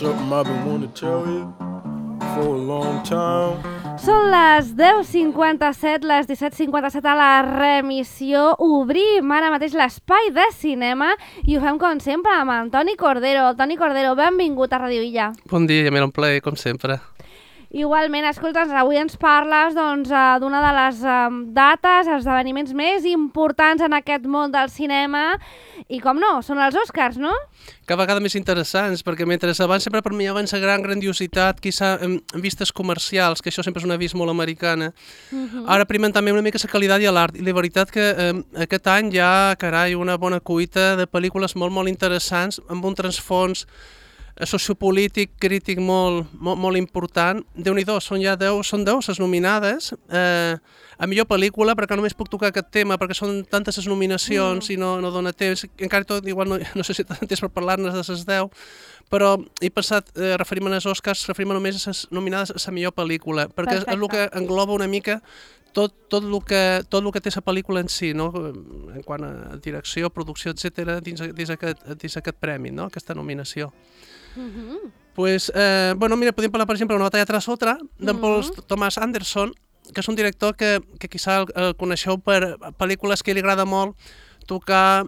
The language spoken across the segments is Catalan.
something I've been wanting to tell you for a long time. Són les 10:57, les 17:57 a la remissió. Obrim ara mateix l'espai de cinema i ho fem com sempre amb el Toni Cordero. Toni Cordero, benvingut a Radio Illa. Bon dia, m'era un plaer, com sempre. Igualment, escolta, avui ens parles d'una de les dates, esdeveniments més importants en aquest món del cinema i, com no, són els Oscars, no? Cada vegada més interessants, perquè mentre abans sempre per mi abans la gran grandiositat, quizà en vistes comercials, que això sempre és una vista molt americana, ara primen també una mica la qualitat i l'art, i la veritat que aquest any hi ha, carai, una bona cuita de pel·lícules molt, molt interessants, amb un transfons sociopolític, crític molt important. Déu-n'hi-do, són 10 les nominades a millor pel·lícula, perquè només puc tocar aquest tema, perquè són tantes les nominacions i no dona temps. Encara tot, igual no sé si tant temps per parlar-ne de les 10, però he pensat, referim-me als Oscars, referim-me només a les nominades a la millor pel·lícula, perquè és el que engloba una mica tot el que té la pel·lícula en si, no? En quant a direcció, producció, etc., dins aquest premi, no? Aquesta nominació. Pues, mira, podem parlar, per exemple, d'Una batalla tras otra, d'en Paul Thomas Anderson, que és un director que quizà el coneixeu per pel·lícules que li agrada molt tocar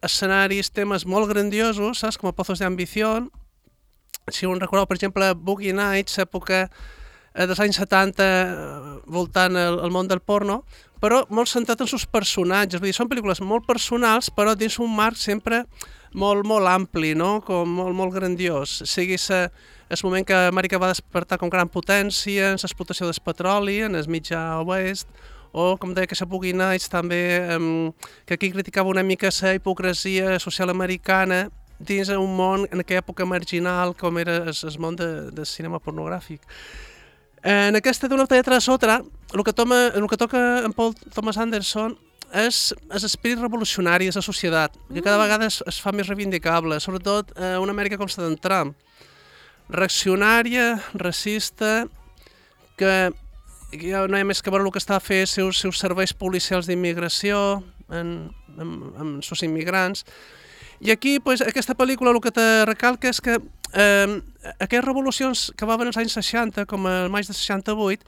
escenaris, temes molt grandiosos, saps? Com a Pozos de Ambición. Si un recordeu, per exemple, Boogie Nights, època dels anys 70, voltant el món del porno, però molt centrat en els personatges. Vull dir, són pel·lícules molt personals, però dins un marc sempre molt ampli, no? Com molt grandiós. Sigui el moment que Amèrica va despertar com gran potència en l'explotació del petroli, en el mitjà oest, o, com deia, que la Boogie Nights també, que aquí criticava una mica la hipocresia social americana dins un món en aquella època marginal com era el món del cinema pornogràfic. En aquesta d'Una batalla tras otra, el que toca en Paul Thomas Anderson és l'esperit revolucionari de la societat, que cada vegada es fa més reivindicable, sobretot una Amèrica com la d'en Trump, reaccionària, racista, que ja no hi ha més que veure el que està a fer els seus serveis policials d'immigració amb els immigrants. I aquí, aquesta pel·lícula el que te recalca és que aquelles revolucions que va haver als anys 60, com el maig de 68,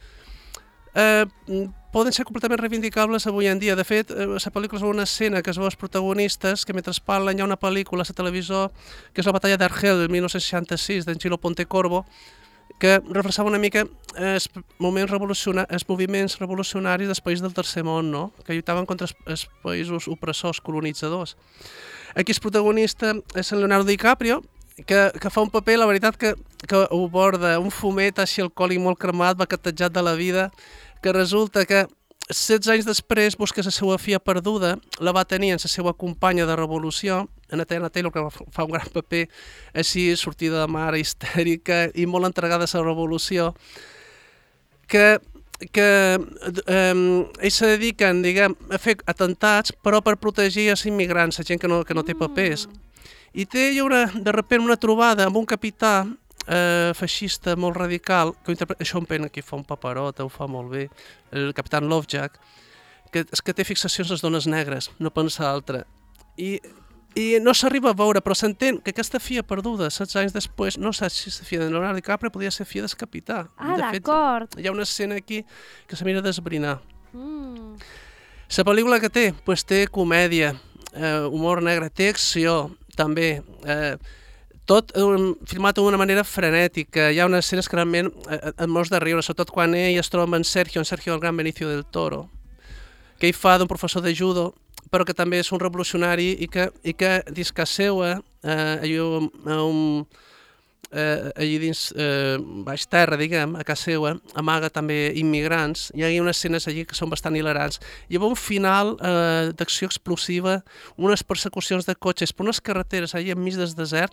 poden ser completament reivindicables avui en dia. De fet, la pel·lícula és una escena que es veu els protagonistes, que mentre parlen hi ha una pel·lícula a la televisió, que és la batalla d'Argel del 1966, d'en Gilo Pontecorvo, que reflexava una mica els moviments revolucionaris dels països del tercer món, no? Que lluitaven contra els països opressors, colonitzadors. Aquí el protagonista és el Leonardo DiCaprio, que fa un paper, la veritat, que ho borda, un fumet així alcohòlic molt cremat, baquetejat de la vida, que resulta que 16 anys després busca la seva filla perduda, la va tenir en la seva companya de revolució, en Athena Taylor, que fa un gran paper així, sortida de mare, histèrica i molt entregada a la revolució, que ells se dediquen, diguem, a fer atentats, però per protegir els immigrants, la gent que no té papers. I té de sobte una trobada amb un capità feixista molt radical, que Sean Penn aquí fa un paperot, ho fa molt bé, el capità Lovejack, que té fixacions a les dones negres, no pensa altra. I no s'arriba a veure, però s'entén que aquesta filla perduda, 16 anys després, no saps si la filla de Leonardo DiCaprio podia ser filla del capità. D'acord. Hi ha una escena aquí que se mira d'esbrinar. La pel·lícula que té? Té comèdia, humor negre, té acció, també, tot filmat d'una manera frenètica. Hi ha unes escenes que realment et mors de riure, sobretot quan ell es troba amb en Sergio el gran Benicio del Toro, que ell fa d'un professor de judo, però que també és un revolucionari i que dins casa seva, allí dins baix terra, diguem, a casa seva, amaga també immigrants. Hi ha unes escenes allí que són bastant hilarants. Hi ha un final d'acció explosiva, unes persecucions de cotxes per unes carreteres allà enmig del desert,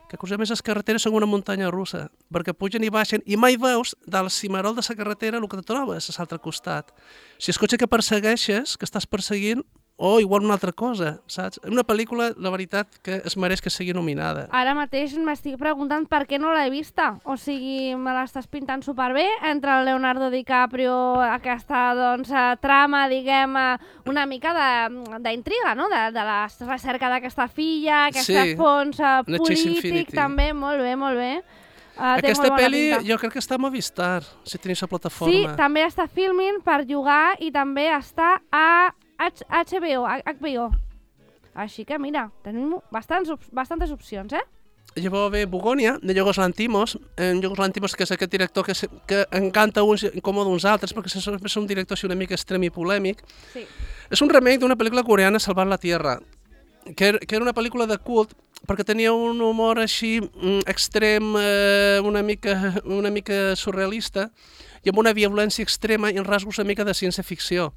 que curiosament les carreteres són una muntanya russa, perquè pugen i baixen i mai veus del cimarol de la carretera el que te trobes a l'altre costat. Si el cotxe que persegueixes, que estàs perseguint, o igual una altra cosa, saps? Una pel·lícula, la veritat, que es mereix que sigui nominada. Ara mateix m'estic preguntant per què no l'he vista. O sigui, me l'estàs pintant superbé entre el Leonardo DiCaprio, aquesta doncs, trama, diguem, una mica d'intriga, no? De la recerca d'aquesta filla, aquest fons polític, també, molt bé, molt bé. Aquesta pel·li jo crec que està a Movistar, si teniu la plataforma. Sí, també està Filmin per llogar i també està a HBO. Així que mira, tenim bastantes opcions, Llavors ve Bugònia, de Yorgos Lanthimos. Yorgos Lanthimos, que és aquest director que encanta uns i incomoda uns altres, perquè és un director així una mica extrem i polèmic. Sí. És un remake d'una pel·lícula coreana, Salvar la Tierra, que era una pel·lícula de cult, perquè tenia un humor així extrem, una mica surrealista, i amb una violència extrema i en rasgos una mica de ciència-ficció.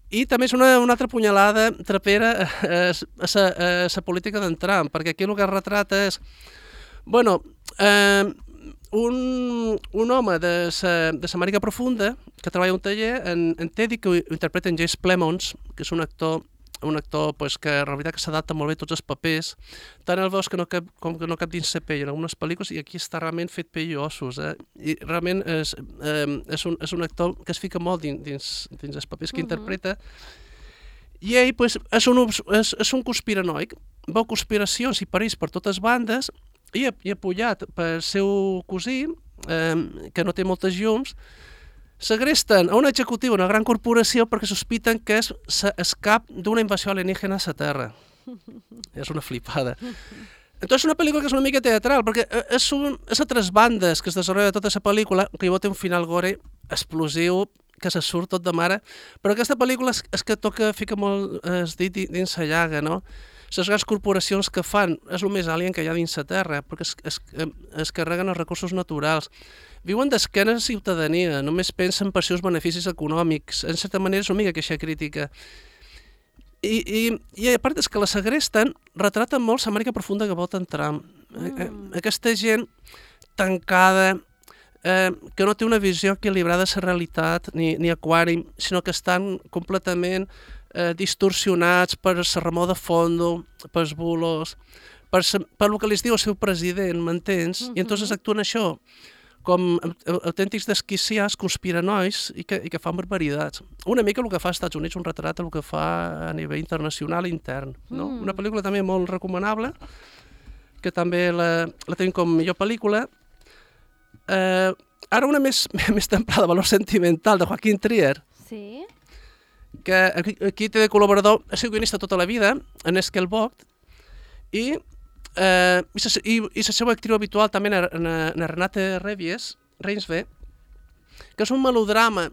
I també és una altra punyalada trapera a la política d'en Trump, perquè aquí el que es retrata és, un home de l'Amèrica Profunda que treballa a un taller en Teddy, que ho interpreta en Jace Plemons, que és un actor que en realitat s'adapta molt bé a tots els papers, tant el veus que no cap dins la pell en algunes pel·lícules, i aquí està realment fet pell i ossos, i realment és un actor que es fica molt dins els papers que interpreta, i ell és un conspiranoic, veu conspiracions i perills per totes bandes, i apoyat pel seu cosí, que no té moltes llums, segresten a un executiu d'una gran corporació perquè sospiten que és cap d'una invasió alienígena a la Terra. És una flipada. Entonces, una pel·lícula que és una mica teatral, perquè és a tres bandes que es desenvolupa tota la pel·lícula, que llavors té un final gore explosiu, que se surt tot de mare, però aquesta pel·lícula és que fica molt es dit dins la llaga, no? Les grans corporacions que fan és el més alien que hi ha dins la Terra, perquè es carreguen els recursos naturals. Viuen d'esquena a la ciutadania, només pensen per seus beneficis econòmics. En certa manera és una mica queixa crítica. I a part és que la segresten, retraten molt l'Amèrica Profunda que voten Trump. Aquesta gent tancada, que no té una visió equilibrada de la realitat ni aquàrim, sinó que estan completament distorsionats per la remor de fondo, pels bulos, per el que li diu el seu president, m'entens? I entonces actuen això com autèntics desquiciats, conspiranois i que fan barbaritats. Una mica el que fa als Estats Units, un retrat del que fa a nivell internacional i intern. No? Una pel·lícula també molt recomanable, que també la tenim com millor pel·lícula. Ara una més templada, valor sentimental, de Joaquín Trier. Sí. Que aquí té de col·laborador, ha sigut guionista tota la vida, en Esquel Vogt, i la seva actriu habitual també en Renate Reinsve, que és un melodrama,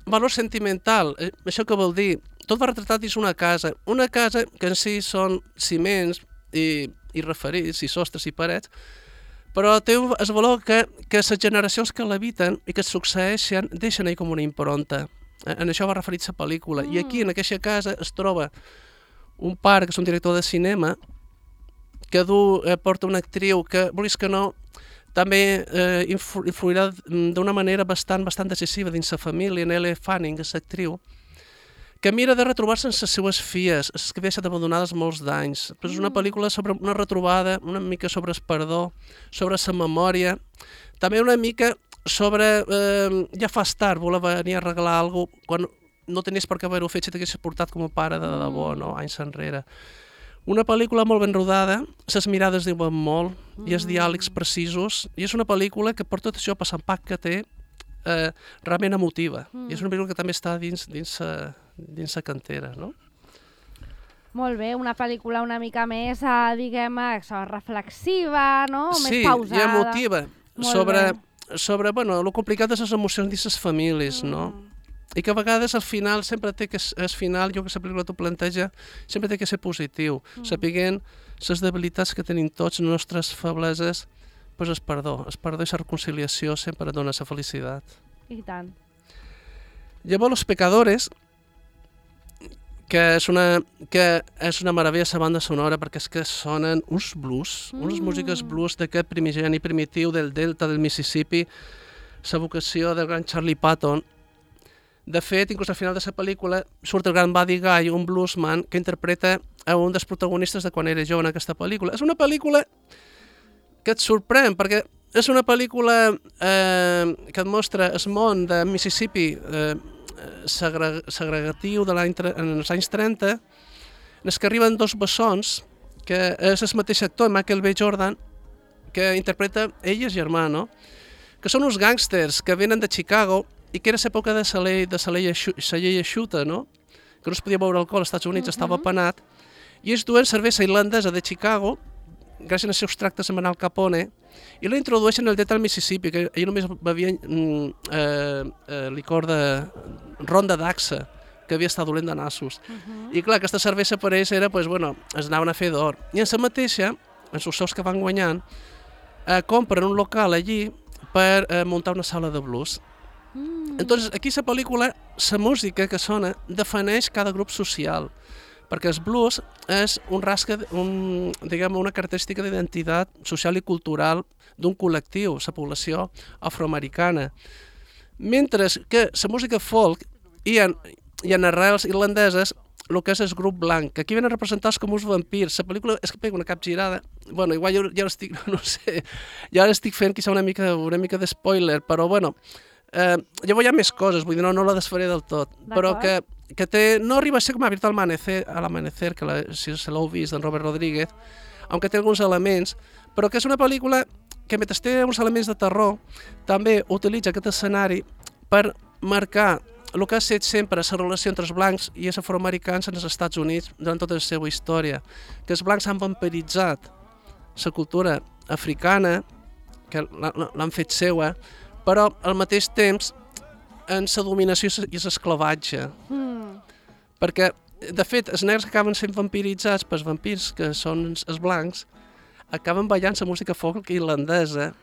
valor sentimental. Això què vol dir? Tot va retratat dins una casa que en si són ciments i referits, i sostres i parets, però té el valor que les generacions que l'habiten i que succeeixen deixen ahí com una impronta. En això va referir la pel·lícula. I aquí, en aquesta casa, es troba un pare, que és un director de cinema, que porta una actriu que, vulguis que no, també influirà d'una manera bastant decisiva dins la família, en Elle Fanning, és l'actriu, que mira de retrobar-se amb les seues filles, les que havien estat abandonades molts d'anys. Però és una pel·lícula sobre una retrobada, una mica sobre el perdó, sobre la memòria, també una mica sobre, ja fas tard, voler venir a regalar alguna cosa quan no tenies per què haver-ho fet si t'haguessis portat com a pare de debò, no? Anys enrere. Una pel·lícula molt ben rodada, les mirades diuen molt, i els diàlegs precisos, i és una pel·lícula que per tot això, per l'impacte que té, realment emotiva. I és una pel·lícula que també està dins la cantera, no? Molt bé, una pel·lícula una mica més, diguem, reflexiva, no? Sí, més pausada. I emotiva, sobre el complicat de les emocions dins les famílies, no? I que a vegades al final sempre té que, al final, jo que la pel·lícula t'ho planteja, sempre té que ser positiu, sapiguent les debilitats que tenim tots, les nostres febleses, doncs el perdó i la reconciliació sempre dona la felicitat. I tant. Llavors, Los Pecadores, que és una meravella la banda sonora, perquè és que sonen uns blues, unes músiques blues d'aquest primigeni primitiu del delta del Mississippi, la vocació del gran Charlie Patton, De fet, inclús al final de la pel·lícula surt el gran Buddy Guy, un bluesman, que interpreta a un dels protagonistes de quan era jove en aquesta pel·lícula. És una pel·lícula que et sorprèn, perquè és una pel·lícula que et mostra el món de Mississippi segregatiu en els anys 30, en els que arriben dos bessons, que és el mateix actor, Michael B. Jordan, que interpreta ell i el germà, no? Que són uns gàngsters que venen de Chicago i que era l'època de la llei eixuta, no? Que no es podia beure alcohol als Estats Units, estava penat, i ells duen cervesa irlandesa de Chicago, gràcies als seus tractes amb Al Capone, i la introdueixen al delta del Mississippi, que ell només bevien licor de ronda d'axa, que havia estat dolent de nassos. I clar, aquesta cervesa per ells era, pues, bueno, es anaven a fer d'or. I en la mateixa, en els sous que van guanyant, compren un local allí per muntar una sala de blues. Entonces, aquí la pel·lícula, la música que sona, defineix cada grup social, perquè el blues és una característica d'identitat social i cultural d'un col·lectiu, la població afroamericana. Mentre que la música folk hi ha arrels irlandeses, el que és el grup blanc, que aquí venen representats com uns vampirs. La pel·lícula és que pega una capgirada. Bueno, igual ja l'estic, no sé, ja l'estic fent quizá una mica de spoiler, però bueno, llavors hi ha més coses, vull dir, no la desfaré del tot, però que no arriba a ser com a Abierto al amanecer, que si se l'heu vist, d'en Robert Rodríguez, aunque té alguns elements, però que és una pel·lícula que mentre té uns elements de terror, també utilitza aquest escenari per marcar el que ha estat sempre la relació entre els blancs i els afroamericans en els Estats Units durant tota la seva història, que els blancs han vampiritzat la cultura africana, que l'han fet seua, però al mateix temps en la dominació i l'esclavatge. Perquè, de fet, els negres que acaben sent vampiritzats pels vampirs, que són els blancs, acaben ballant la música folk irlandesa,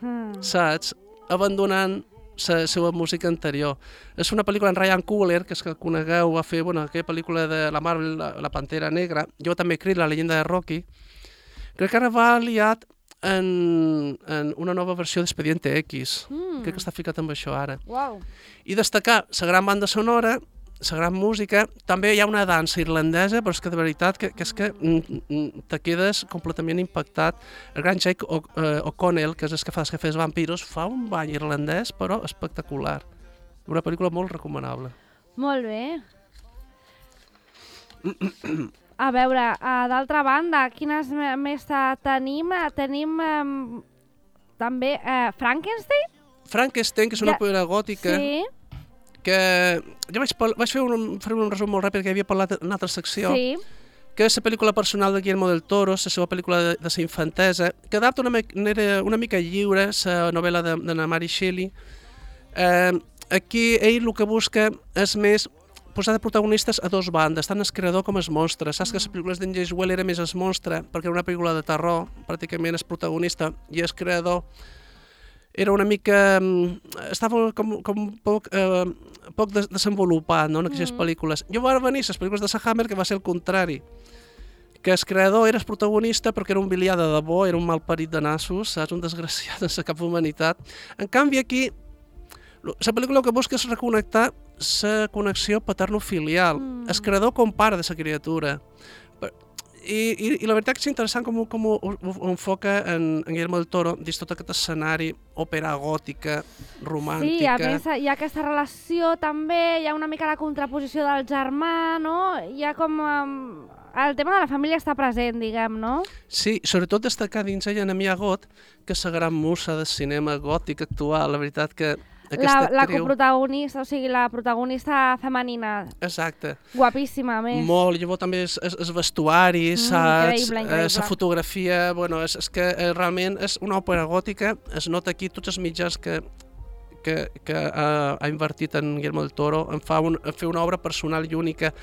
saps? Abandonant la seva música anterior. És una pel·lícula en Ryan Coogler, que és que conegueu, va fer aquella pel·lícula de la Marvel, La Pantera Negra, jo també he La leyenda de Rocky. Crec que ara va aliat en una nova versió d'Expediente X. Crec que està ficat amb això ara. Wow. I destacar la gran banda sonora, la gran música, també hi ha una dansa irlandesa, però és que de veritat que és que te quedes completament impactat. El gran Jake O'Connell, que és el que fa els Jefes Vampiros, fa un ball irlandès, però espectacular. Una pel·lícula molt recomanable. Molt bé. A veure, d'altra banda, quines més tenim? Tenim també Frankenstein? Frankenstein, que és una pel·lícula gòtica, Sí. que jo vaig fer un resum molt ràpid que havia parlat en una altra secció, Sí. que és la pel·lícula personal de Guillermo del Toro, la seva pel·lícula de la infantesa, que adapta una mica lliure la novel·la de Mary Shelley. Aquí ell el que busca és més posar de protagonistes a dos bandes, tant el creador com el monstre. Saps que les pel·lícules d'en James Whale era més el monstre, perquè era una pel·lícula de terror, pràcticament el protagonista, i el creador era una mica... estava com poc desenvolupat, no?, en aquestes pel·lícules. Jo va venir les pel·lícules de Hammer, que va ser el contrari, que el creador era el protagonista perquè era un bilià de debò, era un malparit de nassos, saps? Un desgraciat sense cap humanitat. En canvi, aquí, la pel·lícula el que busca és reconnectar la connexió paterno-filial. El creador compara de la criatura. I la veritat que és interessant com ho enfoca en Guillermo del Toro dins tot aquest escenari, òpera gòtica, romàntica. Sí, a més hi ha aquesta relació també, hi ha una mica la contraposició del germà, no? Hi ha com... el tema de la família està present, diguem, no? Sí, sobretot destacar dins ella Amy Agot, que és la gran musa del cinema gòtic actual, la veritat que la coprotagonista, o sigui, la protagonista femenina. Exacte. Guapíssima, a més. Molt, llavors també el vestuari, saps? Increïble. La fotografia, bueno, és que realment és una òpera gòtica, es nota aquí tots els mitjans que ha invertit en Guillermo del Toro, en fer una obra personal i única,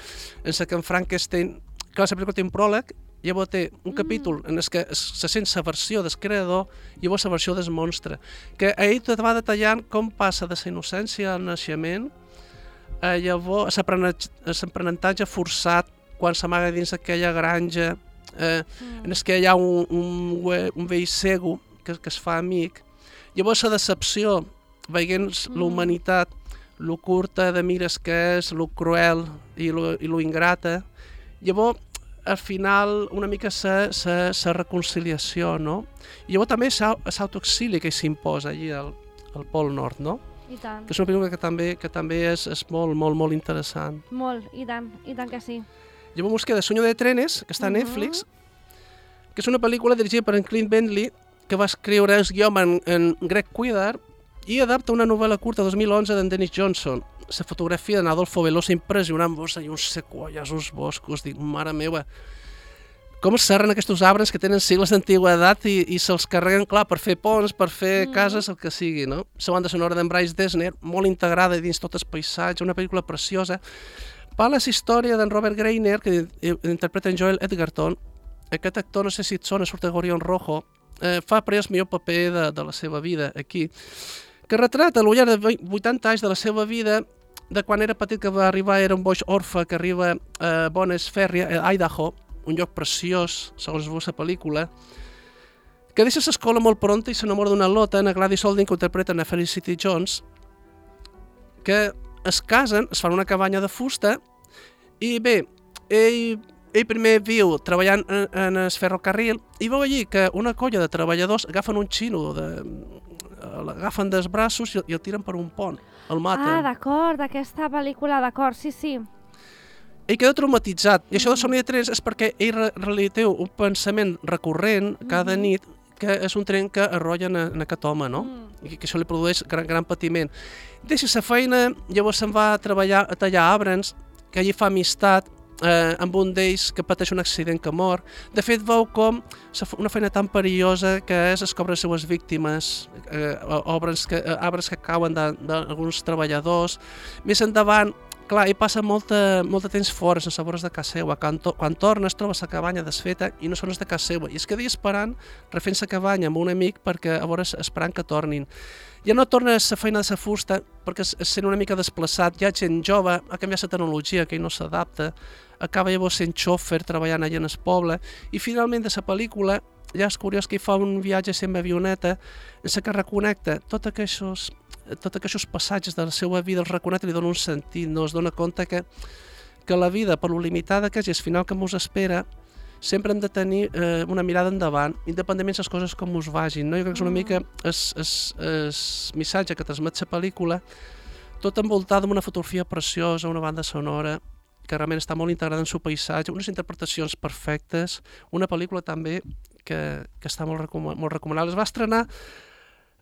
en la que en Frankenstein, clar, la pel·lícula té un pròleg, llavors té un capítol en què se sent la versió del creador i llavors la versió del monstre, que ell te va detallant com passa de la innocència al naixement, llavors l'aprenentatge forçat quan s'amaga dins aquella granja, en què hi ha un vell cego que es fa amic, llavors la decepció veient la humanitat lo curta de mires que és, lo cruel i lo ingrata. Llavors, al final, una mica la reconciliació, no? I llavors també l'autoexili que s'imposa allí al Pol Nord, no? I tant. Que és una pel·lícula que també és molt, molt, molt interessant. Molt, i tant que sí. Llavors ens queda Sueño de trenes, que està a Netflix, que és una pel·lícula dirigida per en Clint Bentley, que va escriure el guió en Greg Kuidar i adapta una novel·la curta 2011 d'en Dennis Johnson. La fotografia d'Adolfo Velosa impressionant-vos i uns sequoies, uns boscos, dic, mare meva, com es serren aquests arbres que tenen segles d'antiguitat i se'ls carreguen, clar, per fer ponts, per fer cases, el que sigui, no? La banda sonora d'en Bryce Dessner, molt integrada dins tot el paisatge, una pel·lícula preciosa. Parla la història d'en Robert Greiner, que interpreta en Joel Edgerton. Aquest actor, no sé si et sona, surt a Gorion Rojo, fa el millor paper de la seva vida aquí, que retrata al llarg de 80 anys de la seva vida, de quan era petit que va arribar, era un boig orfe que arriba a Bonnes Ferry, a Idaho, un lloc preciós, segons la pel·lícula, que deixa l'escola molt pronta i s'enamora d'una lota, en Gladys Olding, que interpreta a Felicity Jones, que es casen, es fan una cabanya de fusta, i bé, ell primer viu treballant en el ferrocarril i veu allí que una colla de treballadors agafen un xino, l'agafen dels braços i el tiren per un pont, el maten. Ah, d'acord, d'aquesta pel·lícula, d'acord, sí. Ell queda traumatitzat, i això de Somni de trens és perquè ell té un pensament recurrent cada nit, que és un tren que arrollen en aquest home, no? I que això li produeix gran patiment. Deixa la feina, llavors se'n va a treballar a tallar arbres, que allí fa amistat amb un d'ells que pateix un accident que mor. De fet, veu com una feina tan perillosa que és descobrir les seues víctimes, arbres que cauen d'alguns treballadors. Més endavant, clar, ell passa molt temps fora, sense veure's de casa seva. Quan torna es troba la cabanya desfeta i no són de casa seva. I es queda esperant, refent la cabanya amb un amic, perquè a veure esperant que tornin. Ja no torna a la feina de la fusta perquè es sent una mica desplaçat, hi ha gent jove, ha canviat la tecnologia, que ell no s'adapta, acaba llavors sent xòfer treballant allà en el poble, i finalment de la pel·lícula ja és curiós que ell fa un viatge amb avioneta en què reconnecta tots aquests passatges de la seva vida, els reconnecta i li dona un sentit, no? Es dona compte que la vida, per lo limitada que és i el final que ens espera, sempre hem de tenir una mirada endavant, independentment de les coses com us vagin, no? Jo crec que és una mica el missatge que transmet la pel·lícula, tot envoltada amb una fotografia preciosa, una banda sonora, que realment està molt integrada en el seu paisatge, unes interpretacions perfectes, una pel·lícula també que està molt recomanable. Es va estrenar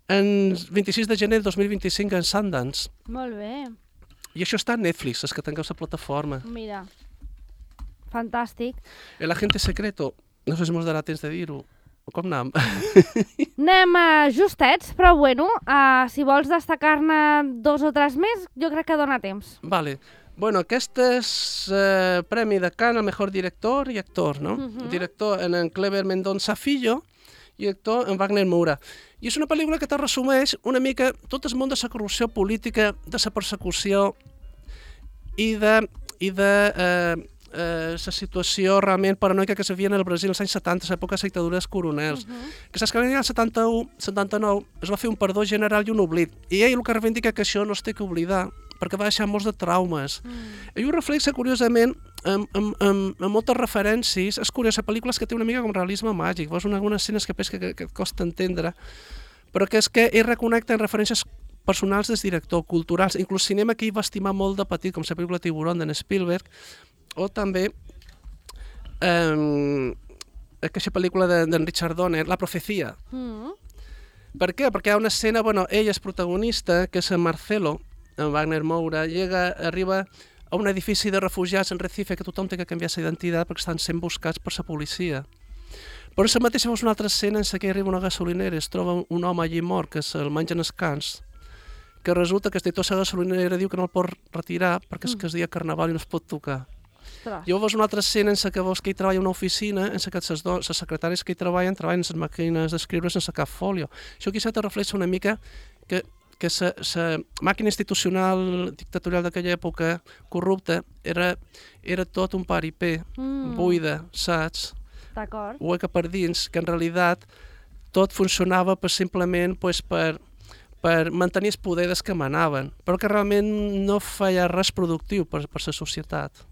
el 26 de gener de 2025 en Sundance. Molt bé. I això està a Netflix, és que tingueu la plataforma. Mira, fantàstic. El agente secreto, no sé si mos darà temps de dir-ho. Com anem? Anem justets, però bueno, si vols destacar-ne 2 o 3 més, jo crec que dona temps. Vale. Bueno, aquest és Premi de Cannes al Mejor Director i Actor, no? Director en Cleber Mendonça Filho i actor en Wagner Moura. I és una pel·lícula que te resumeix una mica tot el món de la corrupció política, de la persecució i de la situació realment paranoica que s'havia en el Brasil als anys 70, a l'època de la dictadura dels coronels. Que saps que l'any 71-79 es va fer un perdó general i un oblit. I ell el que reivindica que això no es té que oblidar, perquè va deixar molts de traumes. Ell ho reflexa, curiosament, amb moltes referències. És curiós, la pel·lícula és que té una mica com realisme màgic. Veus algunes escenes que et costa entendre, però que és que ell reconnecta en referències personals del director, culturals, inclús cinema que ell va estimar molt de petit, com la pel·lícula Tiburón d'en Spielberg, o també aquesta pel·lícula d'en Richard Donner, La Profecia. Per què? Perquè hi ha una escena, ell és protagonista, que és en Marcelo, en Wagner Moura, arriba a un edifici de refugiats en Recife que tothom té que canviar la identitat perquè estan sent buscats per la policia. Però en la mateixa veus una altra escena en què arriba una gasolinera, es troba un home allí mort que se'l mengen els cans, que resulta que el director de la gasolinera diu que no el pot retirar perquè és que és dia carnaval i no es pot tocar. Llavors una altra escena en què veus que ell treballa en una oficina, en què les secretàries que hi treballen en les màquines d'escriure sense cap fòlio. Això quizá te reflexa una mica que la màquina institucional dictatorial d'aquella època corrupta era tot un paripé, buida, saps? Hueca per dins, que en realitat tot funcionava simplement per per mantenir el poder dels que manaven, però que realment no feia res productiu per la societat.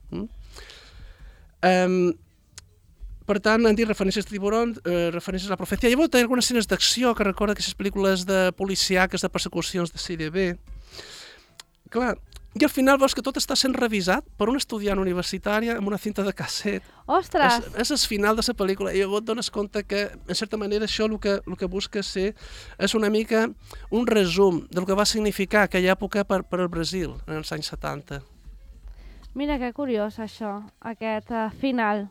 Per tant, han dit referències a Tiburón, referències a la profecia. Llavors té algunes escenes d'acció que recorda aquestes pel·lícules de policiaques, de persecucions de CDB. Clar, i al final veus que tot està sent revisat per un estudiant universitari amb una cinta de casset. Ostres! És el final de la pel·lícula i llavors et dones compte que, en certa manera, això el que busca ser és una mica un resum del que va significar aquella època per al Brasil, en els anys 70. Mira que curiós això, aquest final.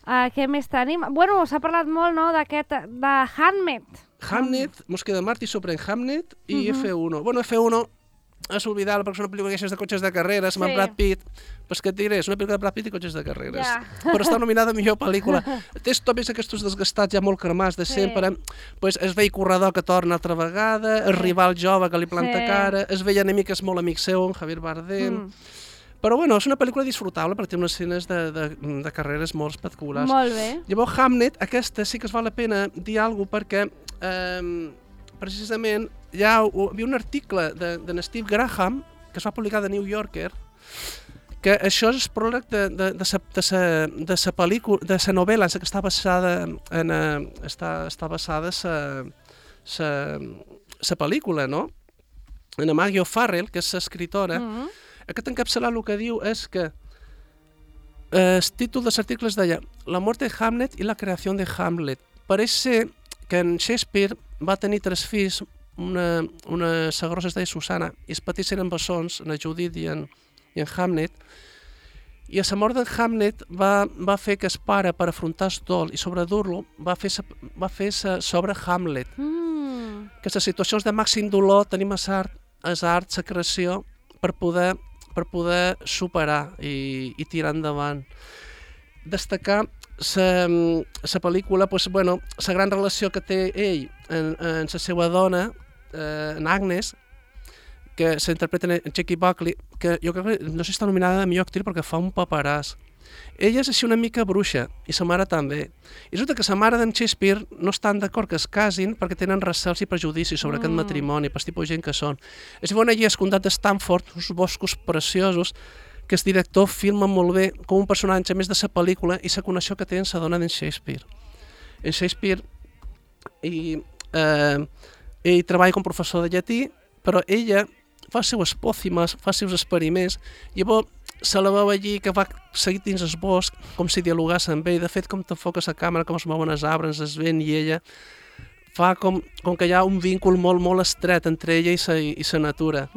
Què més tenim? Bueno, s'ha parlat molt, no?, de Hamnet. Hamnet, mos queda Marty sobre en Hamnet i F1. Bueno, F1 és oblidable perquè és una pel·lícula de cotxes de carreres amb Brad Pitt. Pues què et diré? És una pel·lícula de Brad Pitt i cotxes de carreres. Però està nominada a millor pel·lícula. Tens tots aquests desgastats ja molt cremats de sempre. Pues el vell corredor que torna altra vegada, el rival jove que li planta cara, el vell enemic que és molt amic seu, en Javier Bardem. Però bueno, és una pel·lícula disfrutable perquè té unes escenes de carreres molt espectaculars. Molt bé. Llavors, Hamnet, aquesta sí que es val la pena dir alguna cosa perquè precisament hi havia un article de Steve Graham que es va publicar de New Yorker que això és el pròleg de la pel·lícula, de la novel·la en què està basada està basada la pel·lícula, no? En Maggie O'Farrell, que és l'escriptora. Aquest encapçalat el que diu és que el títol dels articles deia La muerte de Hamlet i la creació de Hamlet. Pareix ser que en Shakespeare va tenir 3 fills, una segrosa es deia Susana, i els petits eren bessons, en Judith i en Hamlet, i a la mort d'en Hamlet va fer que el pare, per afrontar el dol i sobredur-lo, va fer sobre Hamlet. Que les situacions de màxim dolor tenim el art, la creació, per poder superar i tirar endavant. Destacar la pel·lícula, la gran relació que té ell amb la seva dona, en Agnes, que s'interpreta en Jackie Buckley, que jo crec que no sé si està nominada a millor actriu perquè fa un paperàs. Ella és així una mica bruixa, i sa mare també. I resulta que sa mare d'en Shakespeare no estan d'acord que es casin perquè tenen recels i prejudicis sobre aquest matrimoni, per tipus de gent que són. És bon allí al comtat de Stanford, uns boscos preciosos, que el director filma molt bé com un personatge més de la pel·lícula i la connexió que té amb la dona d'en Shakespeare. En Shakespeare ell treballa com a professor de llatí, però ella fa els seus espòcimes, fa els seus experiments, i llavors se la veu allí que va seguir dins el bosc, com si dialogàs amb ell. De fet, com t'enfoca la càmera, com es mouen els arbres, es vent i ella, fa com que hi ha un víncul molt, molt estret entre ella i la natura.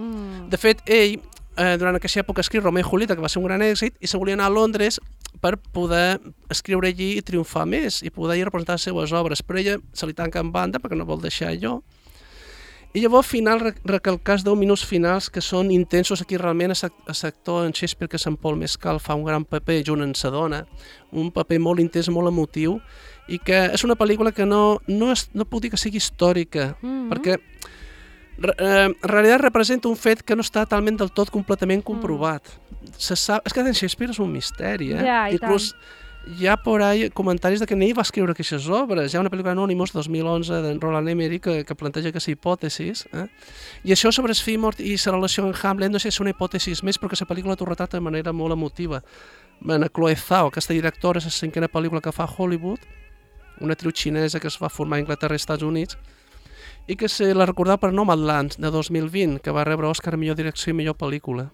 De fet, ell, durant aquesta època escriu Romeo i Julieta, que va ser un gran èxit, i se volia anar a Londres per poder escriure allí i triomfar més, i poder ir representar les seves obres. Però ella se li tanca en banda perquè no vol deixar allò. I llavors, al final, recalcar els 10 minuts finals que són intensos. Aquí realment l'actor en Shakespeare, que és en Paul Mescal, fa un gran paper junt amb sa dona, un paper molt intens, molt emotiu, i que és una pel·lícula que no puc dir que sigui històrica, perquè en realitat representa un fet que no està talment del tot completament comprovat. És que en Shakespeare és un misteri, inclús hi ha por ahí comentaris de que ell va escriure aquestes obres. Hi ha una pel·lícula Anonymous 2011 d'en Roland Emmerich que planteja aquesta hipòtesi. I això sobre el fill mort i la relació amb Hamlet no sé si és una hipòtesi més, però que la pel·lícula t'ho retrata de manera molt emotiva. Chloe Zhao, aquesta directora, és la 5a pel·lícula que fa a Hollywood, una actriu xinesa que es va formar a Anglaterra i Estats Units, i que se la recordava per Nomadland, de 2020, que va rebre Òscar a millor direcció i millor pel·lícula.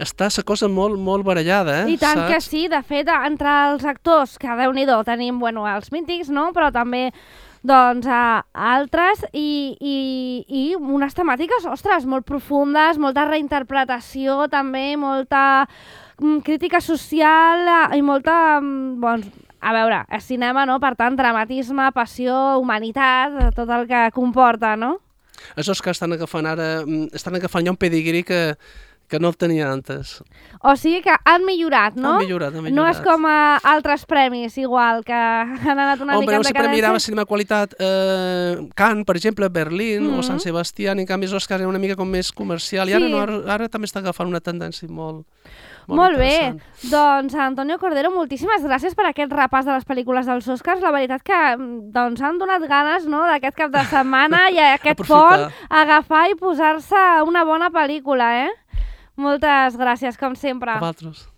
Està la cosa molt, molt barallada, I tant que sí, de fet, entre els actors, que Déu-n'hi-do, tenim, els mítics, no?, però també, altres, i unes temàtiques, ostres, molt profundes, molta reinterpretació, també, molta crítica social i molta, a veure, el cinema, no?, per tant, dramatisme, passió, humanitat, tot el que comporta, no? Els Oscars estan agafant ja un pedigrí que que no el tenia antes. O sigui que han millorat, no? Han millorat. No és com a altres premis, igual, que han anat una mica en sempre decadència. mirava cinema qualitat Cannes, per exemple, Berlín o Sant Sebastián, en canvi els Oscars era una mica com més comercial, i ara també està agafant una tendència molt bé, doncs Antonio Cordero, moltíssimes gràcies per aquest repàs de les pel·lícules dels Oscars. La veritat que han donat ganes, no?, d'aquest cap de setmana i aquest pont agafar i posar-se una bona pel·lícula, eh? Moltes gràcies, com sempre. A vosaltres.